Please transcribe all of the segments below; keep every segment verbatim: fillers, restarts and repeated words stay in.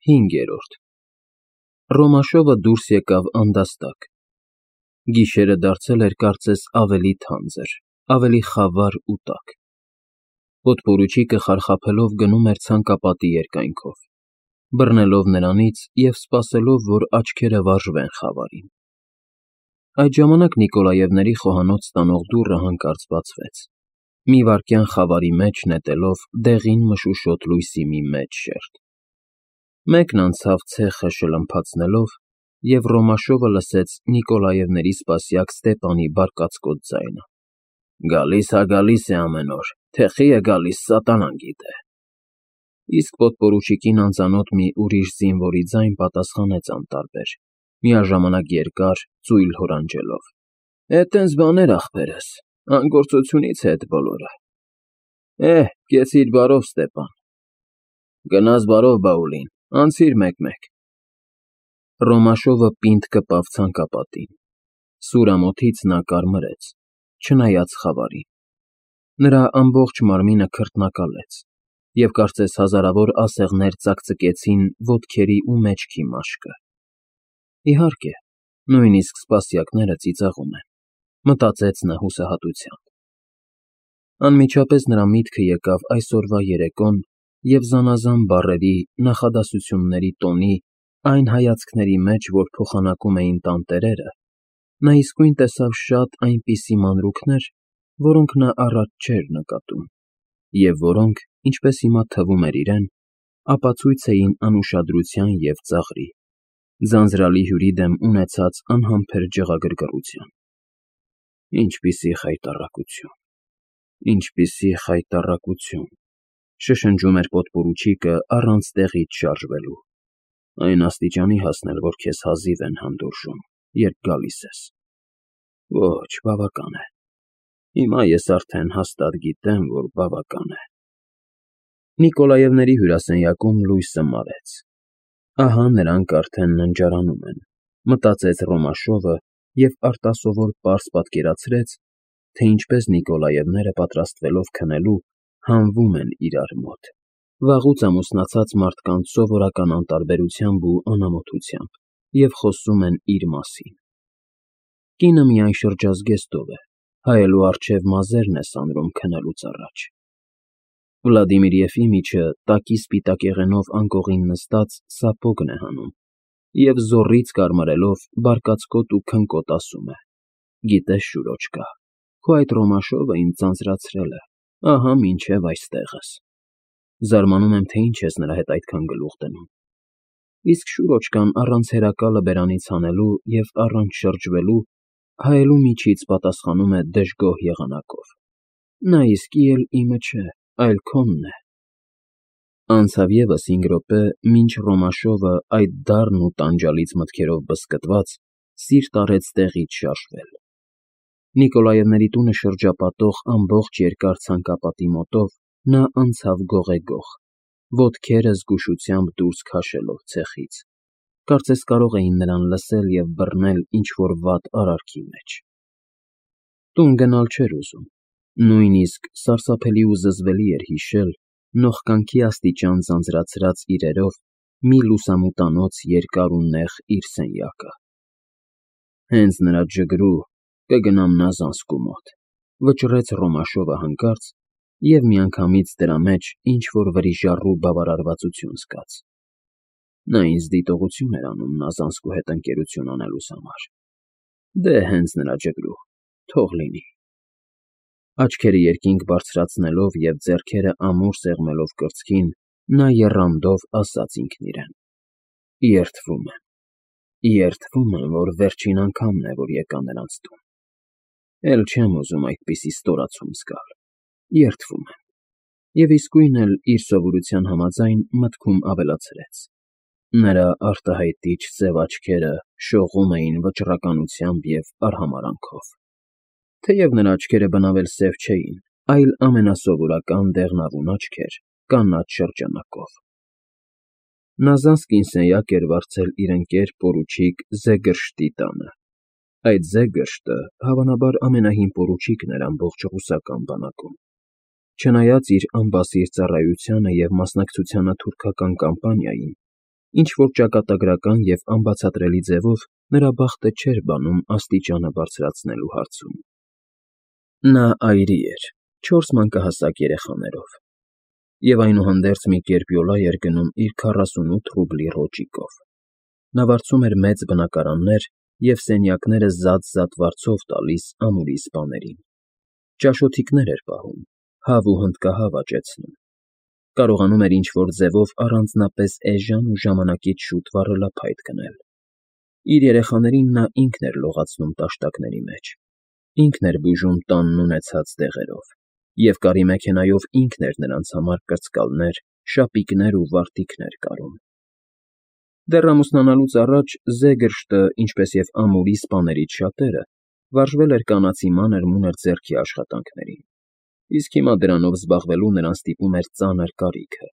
Հինգերորդ Ռոմաշովը դուրս եկավ անդաստակ։ Գիշերը դարձել էր կարծես ավելի թանձր, ավելի խավար ու տաք։ Պոդպորուչիկը խարխափելով գնում էր ցանկապատի երկայնքով, բռնելով նրանից և սպասելով, որ աչքերը վարժվեն խավարին։ Այդ ժամանակ Նիկոլաևների խոհանոց տանող դուռը հանկարծ բացվեց, մի վայրկյան խավարի մեջ նետելով դեղին մշուշոտ լույսի մի մեծ շերջ։ Մեկն անցավ ցեխը շլմփացնելով, և Ռոմաշովը լսեց Նիկոլաևների սպասյակ Ստեպանի բարկացկոտ ձայնը. «Գալիս հա գալիս է ամեն օր, թეხի է գալիս, սատանան գիտե»։ Իսկ պոդպորուչիկին անծանոթ մի ուրիշ զինվորի ձայն պատասխանեց անտարբեր, միաժամանակ երկար, ծույլ հորանջելով. «Էդ տենց բաներ, ախպերս, անգործությունից է էդ բոլորը։ Էհ, կեցիր բարով, Ստեպան։ Գնաս բարով, Բաուլին, անցիր մեկ֊մեկ»։ Ռոմաշովը պինդ կպավ ցանկապատին։ Սուր ամոթից նա կարմրեց, չնայած խավարին։ Նրա ամբողջ մարմինը քրտնակալեց, և կարծես հազարավոր ասեղներ ծակծկեցին ոտքերի ու մեջքի մաշկը։ Իհարկե, նույնիսկ սպասյակները ծիծաղում են, մտածեց նա հուսահատությամբ։ Անմիջապես նրա միտքը եկավ այսօրվա երեկոն և զանազան բառերի, նախադասությունների տոնի, այն հայացքների մեջ, որ փոխանակում էին տանտերերը, նա իսկույն տեսավ շատ այնպիսի մանրուքներ, որոնք նա առաջ չէր նկատում, և որոնք, ինչպես հիմա թվում էր իրեն, ապացույց էին անուշադրության և ծաղրի, ձանձրալի հյուրի դեմ ունեցած անհամբեր ջղագրգռության։ «Ինչպիսի խայտառակություն, ինչպիսի խայտառակություն», շշնջում էր պոդպորուչիկը առանց տեղից շարժվելու, «այն աստիճանի հասնել, որ քեզ հազիվ են հանդուրժում, երբ գալիս ես։ Ոչ, բավական է, հիմա ես արդեն հաստատ գիտեմ, որ բավական է»։ Նիկոլաևների հյուրասենյակում լույսը մարեց։ Ահա նրանք արդեն ննջարանում են, մտածեց Ռոմաշովը և արտասովոր պարզ պատկերացրեց, թե ինչպես Նիկոլաևները, պատրաստվելով քնելու, հանվում են իրար մոտ, վաղուց ամուսնացած մարդկանց սովորական անտարբերությամբ ու անամոթությամբ, և խոսում են իր մասին։ Կինը միայն շրջազգեստով է, հայելու առջև մազերն է սանրում քնելուց առաջ։ Վլադիմիր Եֆիմիչը տակի սպիտակեղենով անկողին նստած սապոգն է հանում և զոռից կարմարելով բարկացկոտ ու քնկոտ ասում է. «Գիտես, Շուրոչկա, քո այդ Ռոմաշովը ինձ ձանձրացրել է, ահա մինչև այստեղս։ Զարմանում եմ, թե ինչ ես նրա հետ այդքան գլուխ դնում»։ Իսկ Շուրոչկան առանց հերակալը բերանից հանելու և առանց շրջվելու, հայելու միջից պատասխանում է դժգոհ եղանակով. «Նա իսկի էլ իմը չէ, այլ քոնն է»։ Անցավ ևս հինգ րոպե, մինչ Ռոմաշովը, այդ դառն ու տանջալից մտքերով բզկտված, սիրտ առեց տեղից շարժվել։ Նիկոլաևների տունը շրջապատող ամբողջ երկար ցանկապատի մոտով նա անցավ գողեգող, ոտքերը զգուշությամբ դուրս քաշելով ցեխից, կարծես կարող էին նրան լսել և բռնել ինչ֊որ վատ արարքի մեջ։ Տուն գնալ չէր ուզում, նույնիսկ սարսափելի ու զզվելի էր հիշել նողկանքի աստիճան ձանձրացրած իրերով մի լուսամուտանոց երկար ու նեղ իր սենյակը։ «Հենց նրա ջգրու, կգնամ Նազանսկու մոտ», վճռեց Ռոմաշովը հանկարծ և միանգամից դրա մեջ ինչ֊որ վրիժառու բավարարվածություն զգաց։ Նա ինձ դիտողություն էր անում Նազանսկու հետ ընկերություն անելուս համար։ Դե, հենց նրա ջգրու, թող լինի։ Աչքերը երկինք բարձրացնելով և ձեռքերը ամուր սեղմելով կրծքին, նա եռանդով ասաց ինքն իրեն. «Երդվում եմ, երդվում եմ, որ վերջին անգամն է, որ եկա նրանց տուն։ Էլ չեմ ուզում այդպիսի ստորացում զգալ, երդվում եմ»։ Եվ իսկույն էլ, իր սովորության համաձայն, մտքում ավելացրեց. նրա արտահայտիչ սև աչքերը շողում էին վճռականությամբ և արհամարհանքով, թեև նրա աչքերը բնավ էլ սև չէին, այլ ամենասովորական դեղնավուն աչքեր, կանաչ շրջանակով։ Նազանսկին սենյակ էր վարձել իր ընկեր պորուչիկ Զեգրշտի տանը։ Այդ Զեգրշտը, հավանաբար, ամենահին պորուչիկն էր ամբողջ ռուսական բանակում։ Չնայած իր անբասիր ծառայությանը և մասնակցությանը թուրքական կամպանիային, Ինչ-որ ճակատագրական և անբացատրելի ձևով նրա բախտը չէր բանում աստիճանը բարձրացնելու հարցում։ Նա այրի էր, չորս մանկահասակ երեխաներով, և այնուհանդերձ մի կերպ յոլա էր գնում իր քառասունութ ռուբլի ռոճիկով. նա վարձում էր մեծ բնակարաններ և սենյակները զատ-զատ վարձով տալիս ամուրի սպաներին, ճաշոթիկներ էր պահում, հավ ու հնդկահավ աճեցնում, կարողանում էր ինչ֊որ ձևով առանձնապես էժան ու ժամանակից շուտ վառելափայտ գնել։ Իր երեխաներին նա ինքն էր լողացնում տաշտակների մեջ, ինքն էր բուժում տանն ունեցած դեղերով և կարի մեքենայով ինքն էր նրանց համար կրծկալներ, շապիկներ ու վարտիքներ կարում։ Դեռ ամուսնանալուց առաջ Զեգերշտը, ինչպես և ամուրի սպաներից շատերը, վարժվել էր կանացի մանր֊մունր ձեռքի աշխատանքներին, իսկ հիմա դրանով զբաղվելու նրան ստիպում էր ծանր կարիքը։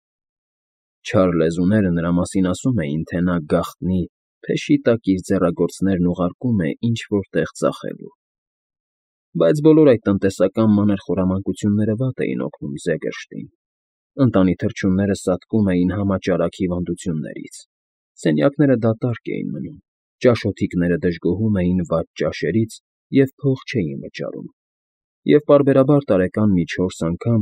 Չար լեզուները նրա մասին ասում էին, թե նա գաղտնի, փեշի տակ իր ձեռագործներն ուղարկում է ինչ֊որ տեղ ծախելու։ Բայց բոլոր այդ տնտեսական մանր խորամանկությունները վատ էին օգնում Զեգերշտին. ընտանի թռչունները սատկում էին համաճարակ հիվանդություններից, սենյակները դատարկ էին մնում, ճաշոթիկները դժգոհում էին վատ ճաշերից և փող չէին վճարում, և պարբերաբար տարեկան մի չորս անգամ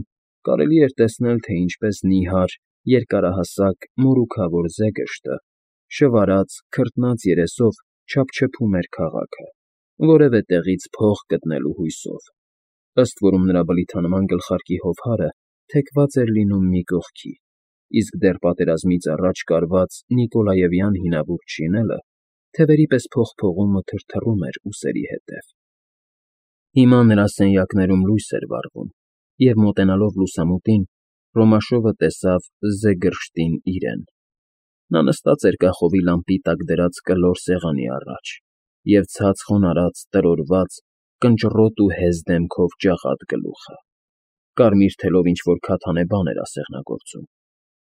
կարելի էր տեսնել, թե ինչպես նիհար, երկարահասակ, մորուքավոր Զեգերշտը, շվարած, քրտնած երեսով չափչփում էր քաղաքը, որևէ տեղից փող գտնելու հույսով, ըստ որում նրա բլիթանման գլխարկի հովհարը թեքված էր լինում մի կողքի, իսկ դեռ պատերազմից առաջ կարված նիկոլաևյան հինավուրց շինելը թևերի պես փողփողում ու թրթռում էր ուսերի ետև։ Հիմա նրա սենյակներում լույս էր վառվում, և, մոտենալով լուսամուտին, Ռոմաշովը տեսավ Զեգերշտին իրեն։ Նա նստած էր կախովի լամպի տակ դրած կլոր սեղանի առաջ և ցած խոնարհած, տրորված, կնճռոտ ու հեզ դեմքով ճաղատ գլուխը, կարմիր թելով ինչ֊որ քաթանե բան էր ասեղնագործում,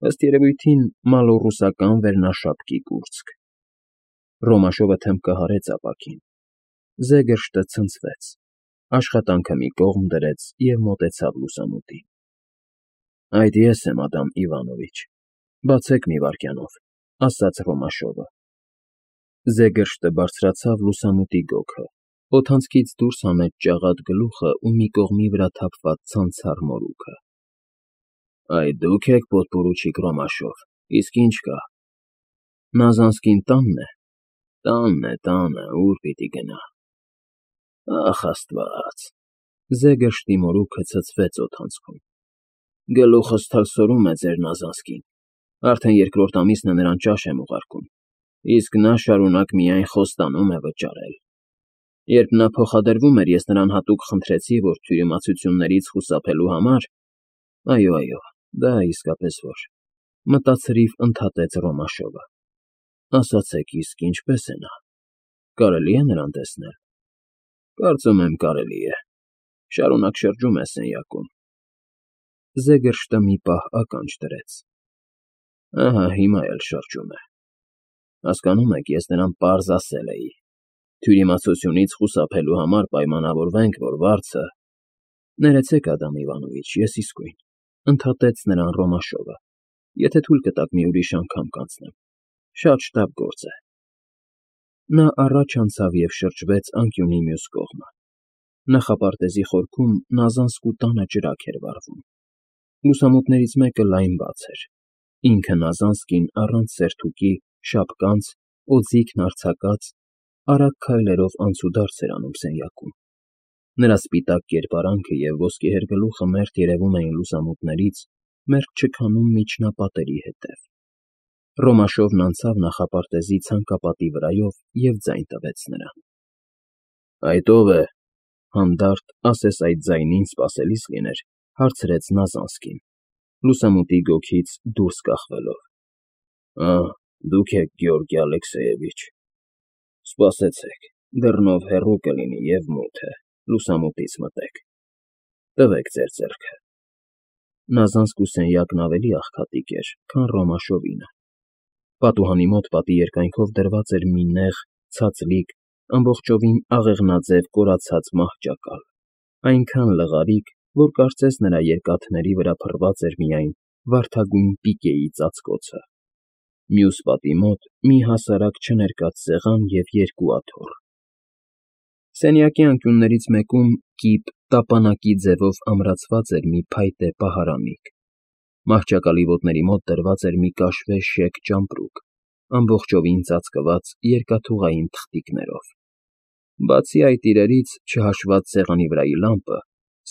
ըստ երևույթին մալոռուսական վերնաշապկի կուրծք։ Ռոմաշովը թմբկը հարեց ապակին։ Զեգերշտը ցնցվեց, աշխատանքը մի կողմ դրեց և մոտեցավ լուսամուտին։ ֊ Այդ ես եմ, Ադամ Իվանովիչ, բացեք մի վայրկյանով, ֊ ասաց Ռոմաշովը։ Զեգերշտը բարձրացավ լուսամուտի գոգը, օդանցքից դուրս հանեց ճաղատ գլուխը ու մի կողմի վրա թափված ցանցառ մորուքը։ ֊ Այդ դու՞ք եք, պոդպորուչիկ Ռոմաշով, իսկ ի՞նչ կա։ ֊ Նազանսկին տա՞նն է։ ֊ Տանն է, տանը, ո՞ւր պիտի գնա։ ֊ Ախ, Աստված… Զեգերշտի մորուքը ցցվեց օդանցքում։ ֊ Գլուխս թրսորում է ձեր Նազանսկին, արդեն երկրորդ ամիսն է նրան ճաշ եմ ուղարկում, իսկ նա շարունակ միայն խոստանում է վճարել։ Երբ նա փոխադրվում էր, ես նրան հատուկ խնդրեցի, որ թյուրիմացություններից խուսափելու համար… Այո, այո, դա իսկապես որ…֊ մտածրիվ ընդհատեց Ռոմաշովը։ Ասացեք, իսկ ինչպե՞ս է նա, կարելի՞ է նրան տեսնել։ ֊ Կարծում եմ, կարելի է, շարունակ շրջում է սենյակում։ Զեգերշտը մի պահ ականջ դրեց։ ֊ Ահա հիմա էլ շրջում է։ Հասկանում եք, ես նրան պարզ ասել էի. թյուրիմացությունից խուսափելու համար պայմանավորվենք, որ վարձը… ֊ Ներեցեք, Ադամ Իվանովիչ, ես իսկույն…֊ ընդհատեց նրան Ռոմաշովը, եթե թույլ կտաք մի ուրիշ անգամ կանցնեմ, շատ շտապ գործ է։ Նա առաջ անցավ և շրջվեց անկյունի մյուս կողմը։ Նախապարտեզի խորքում Նազանսկու տանը ճրագ էր վառվում։ Լուսամուտներից մեկը լայն բաց էր, ինքը Նազանսկին առանց սերթուկի, շապկանց, օձիքն արձակած, արագ քայլերով անցուդարձ էր անում սենյակում։ Նրա սպիտակ կերպարանքը և ոսկեհեր գլուխը մերթ երևում էին լուսամուտներից, մերթ չքանում միջնապատերի ետև։ Ռոմաշովն անցավ նախապարտեզի ցանկապատի վրայով և ձայն տվեց նրան։ ֊ Այդ ո՞վ է,֊ հանդարտ, ասես այդ ձայնին սպասելիս լիներ, հարցրեց Նազանսկին, լուսամուտի գոգից դուրս կախվելով։ ֊ Ա, դուք եք, Գեորգի Ալեքսեևիչ… Սպասեցեք, դռնով հեռու կլինի և մութ է, լուսամուտից մտեք… Տվեք ձեր ձեռքը… Նազանսկու սենյակն ավելի աղքատիկ էր, քան Ռոմաշովինը։ Պատուհանի մոտ պատի երկայնքով դրված էր մի նեղ, ցածլիկ, ամբողջովին աղեղնաձև կորացած մահճակալ, այնքան լղարիկ, որ կարծես նրա երկաթների վրա փռված էր միայն վարդագույն պիկեի ծածկոցը։ Մյուս պատի մոտ մի հասարակ չներկած սեղան և երկու աթոռ։ Սենյակի անկյուններից մեկում կիպ տապանակի ձևով ամրացված էր մի փայտե պահարանիկ, մահճակալի ոտների մոտ դրված էր մի կաշվե շեկ ճամպրուկ, ամբողջովին ծածկված երկաթուղային թղթիկներով։ Բացի այդ իրերից, չհաշված սեղանի վրայի լամպը,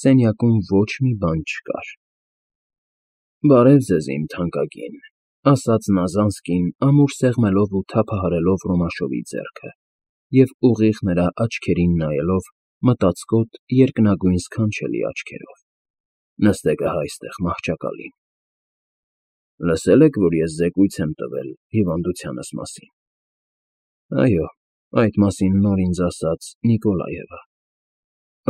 սենյակում ոչ մի բան չկար։ ֊ Բարև ձեզ, իմ թանկագին, ֊ ասաց Նազանսկին ամուր սեղմելով ու թափահարելով Ռոմաշովի ձեռքը և ուղիղ նրա աչքերին նայելով մտածկոտ, երկնագույն սքանչելի աչքերով։ ֊ Նստեք ահա այստեղ, մահճակալին։ Լսել եք, որ ես զեկույց եմ տվել հիվանդությանս մասին։ ֊ Այո, այդ մասին նոր ինձ ասաց Նիկոլաևը։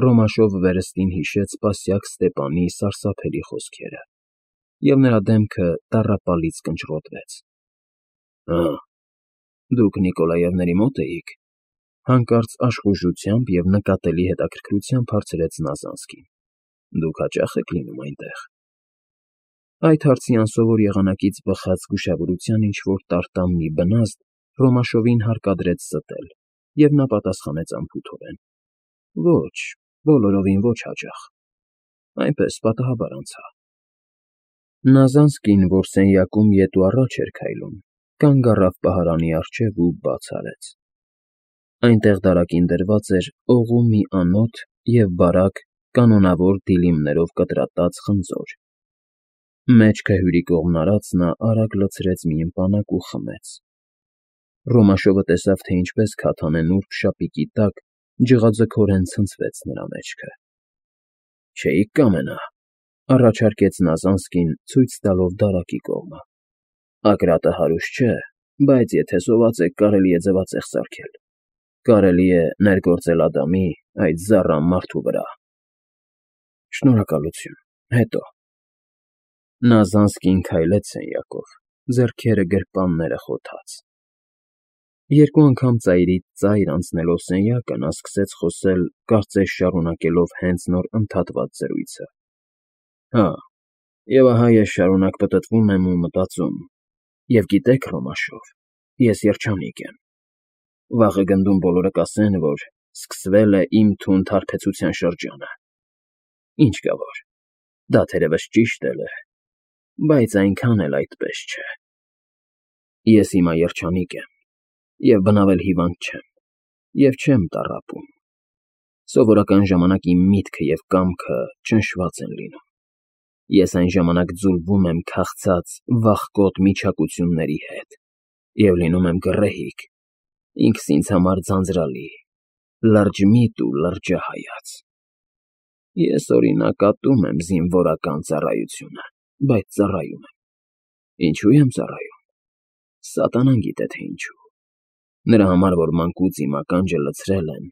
Ռոմաշովը վերստին հիշեց Սպասյակ Ստեպանի սարսափելի խոսքերը, և նրա դեմքը տառապալից կնճռոտվեց։ ֊ Ա՜, դուք Նիկոլաևների մոտ էիք,֊ հանկարծ աշխուժությամբ և նկատելի հետաքրքրությամբ հարցրեց Նազանսկին։ ֊ Դուք հաճա՞խ եք լինում այնտեղ։ Այդ հարցի անսովոր եղանակից բխած զգուշավորության ինչ֊որ տարտամ մի բնազդ Ռոմաշովին հարկադրեց ստել, և նա պատասխանեց անփութորեն. ֊ Ոչ, բոլորովին ոչ հաճախ, այնպես պատահաբար անցա։ Նազանսկին, որ սենյակում ետ ու առաջ էր քայլում, կանգ առավ պահարանի առջև ու բաց արեց։ Այնտեղ դարակին դրված էր օղու մի անոթ և բարակ, կանոնավոր դիլիմներով կտրատած խնձոր։ Մեջքը հյուրի կողմն արած նա արագ լցրեց մի ըմպանակ ու խմեց։ Ռոմաշովը տեսավ, թե ինչպես քաթանե նուրբ շապիկի տակ ջղաձգորեն ցնցվեց նրա մեջքը։ ֊ Չէի՞ք կամենա,֊ առաջարկեց Նազանսկին, ցույց տալով դարակի կողմը։ ֊ Ակրատը հարուստ չէ, բայց եթե սոված եք, կարելի է ձվածեղ սարքել, կարելի է ներգործել Ադամի, այդ զառամ մարդու վրա։ ֊ Շնորհակալություն, հետո։ Նազանսկին քայլեց սենյակով, ձեռքերը գրպանները խոթած։ Երկու անգամ ծայրից ծայր անցնելով սենյակը, նա սկսեց խոսել, կարծես շարունակելով հենց նոր ընդհատված զրույցը։ ֊ Հա, և ահա ես շարունակ պտտվում եմ ու մտածում, և գիտեք, Ռոմաշով, ես երջանիկ եմ։ Վաղը գնդում բոլորը կասեն, որ սկսվել է իմ թունդ հարբեցության շրջանը։ Ինչ կա որ, դա թերևս ճիշտ էլ է, բայց այնքան էլ այդպես չէ։ Ես հիմա երջանիկ եմ, և բնավ էլ հիվանդ չեմ, և չեմ տառապում։ Սովորական ժամանակ իմ միտքը և կամքը ճնշված են լինում։ Ես այն ժամանակ ձուլվում եմ քաղցած, վախկոտ միչակությունների հետ և լինում եմ գռեհիկ, ինքս ինձ համար ձանձրալի, լրջմիտ ու լրջահայաց։ Ես, օրինակ, ատում եմ զինվորական ծառայությունը, բայց ծառայում եմ։ Ինչո՞ւ եմ ծառայում։ Սատանան գիտե, թե ինչու։ Նրա համար, որ մանկուց իմ ականջը լցրել են,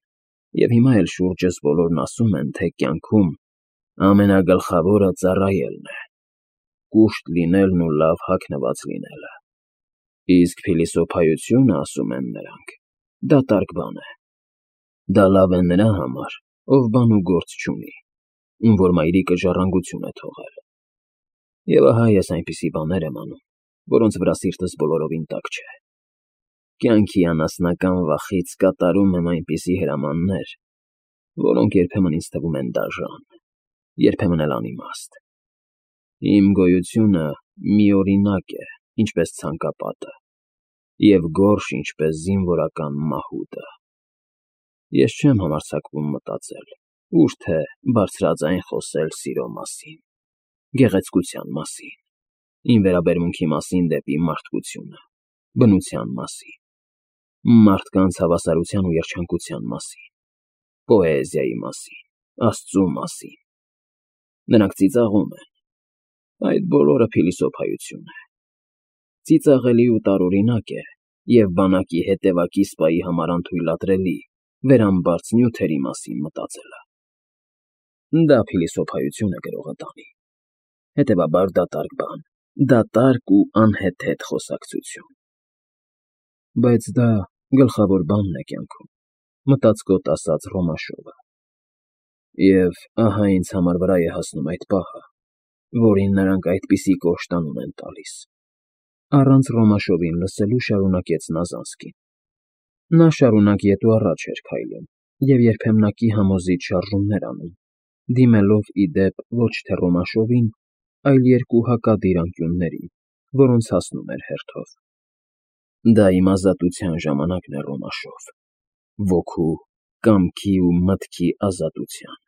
և հիմա էլ շուրջս բոլորն ասում են, թե կյանքում ամենագլխավորը ծառայելն է, կուշտ լինելն ու լավ հագնված լինելը։ Իսկ փիլիսոփայությունը, ասում են նրանք, դատարկ բան է։ Դա լավ է նրա համար, ով բան ու գործ չունի, ում որ մայրիկը ժառանգություն է թողել։ Եվ ահա ես այնպիսի բաներ եմ անում, որոնց վրա սիրտս բոլորովին տակ չէ։ Կյանքի անասնական վախից կատարում եմ այնպիսի հրամաններ, որոնք երբեմն ինձ թվում են դաժան, երբեմն էլ անիմաստ։ Իմ գոյությունը միօրինակ է, ինչպես ցանկապատը, և գորշ, ինչպես զինվորական մահուդը։ Ես չեմ համարձակվում մտածել, ուր թե բարձրաձայն խոսել սիրո մասին, գեղեցկության մասին, իմ վերաբերմունքի մասին դեպի մարդկությունը, բնության մասին, մարդկանց հավասարության ու երջանկության մասին, պոեզիայի մասին, Աստծու մասին։ Նրանք ծիծաղում են։ Այդ բոլորը փիլիսոփայություն է։ Ծիծաղելի ու տարօրինակ է և բանակի հետևակի սպայի համար անթույլատրելի վերամբարձ նյութերի մասին մտածելը։ Դա փիլիսոփայություն է գրողը տանի, հետևաբար դատարկ բան, դատարկ ու անհեթեթ խոսակցություն։ Բայց դա գլխավոր բանն է կյանքում, մտածկոտ ասաց Ռոմաշովը։ Եվ ահա ինձ համար վրա է հասնում այդ պահը, որին նրանք այդպիսի կոշտ անուն են տալիս։ Առանց Ռոմաշովին լսելու շարունակեց նա զանցքին։ Նա շարունակ ետ ու առաջ էր քայլում և երբեմնակի համոզիչ շարժումներ անում, դիմելով ի դեպ ոչ թե Ռոմաշովին, այլ երկու հակադիր անկյուններին, որոնց հասնում էր հերթով։ Դա իմ ազատության ժամանակն է, Ռոմաշով, ոգու, կամքի ու մտքի ազատության։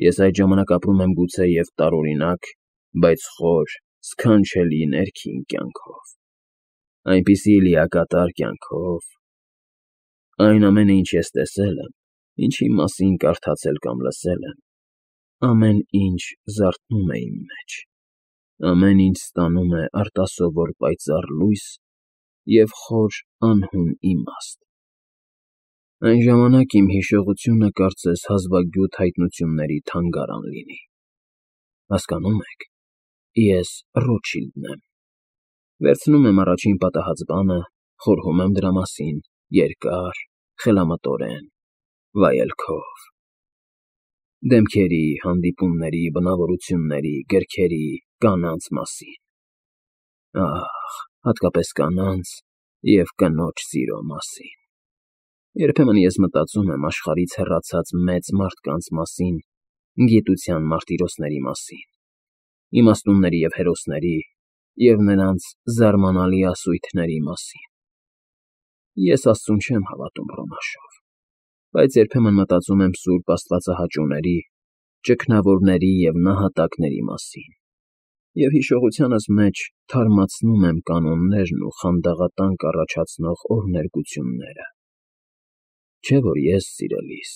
Ես այդ ժամանակ ապրում եմ գուցեև տարօրինակ, բայց խոր, սքանչելի ներքին կյանքով, այնպիսի լիակատար կյանքով… Այն ամենը, ինչ ես տեսել եմ, ինչի մասին կարդացել կամ լսել եմ, ամեն ինչ զարթնում է իմ մեջ, ամեն ինչ ստանում է արտասովոր պայծառ լույս և խոր անհուն իմաստ… Այն ժամանակ իմ հիշողությունը կարծես հազվագյուտ հայտնությունների թանգարան լինի… Հասկանո՞ւմ եք, ես Ռոթշիլդն եմ… Վերցնում եմ առաջին պատահած բանը, խորհում եմ դրա մասին, երկար, խելամտորեն, վայելքով… Դեմքերի, հանդիպումների, բնավորությունների, գրքերի, կանանց մասին… Ահ, հատկապես կանանց և կնոջ սիրո մասին… Երբեմն ես մտածում եմ աշխարհից հեռացած մեծ մարդկանց մասին, գիտության մարտիրոսների մասին, իմաստունների և հերոսների և նրանց զարմանալի ասույթների մասին… Ես Աստծուն չեմ հավատում, Ռոմաշով, բայց երբեմն մտածում եմ սուրբ աստվածահաճոների, ճգնավորների և նահատակների մասին և հիշողությանս մեջ թարմացնում եմ կանոններն ու խանդաղատանք առաջացնող օրհներգությունները… Չէ՞ որ ես, սիրելիս,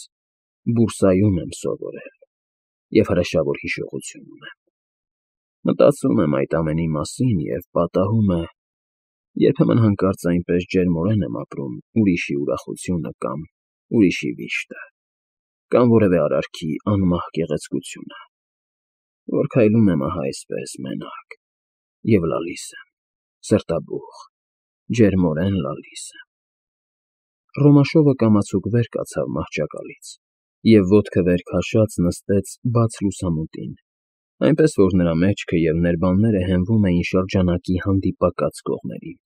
բուրսայում եմ սովորել և հրեշավոր հիշողություն ունեմ… Մտածում եմ այդ ամենի մասին և պատահում է, երբեմն հանկարծ այնպես ջերմորեն եմ ապրում ուրիշի ուրախությունը կամ ուրիշի վիշտը, կամ որևէ արարքի անմահ գեղեցկությունը, որ քայլում եմ ահա այսպես, մենակ, և լալիս եմ, սրտաբուխ, ջերմորեն լալիս եմ… Ռոմաշովը կամացուկ վեր կացավ մահճակալից և ոտքը վեր քաշած նստեց բաց լուսամուտին, այնպես որ նրա մեջքը և ներբանները հենվում էին շրջանակի հանդիպակաց կողմերին։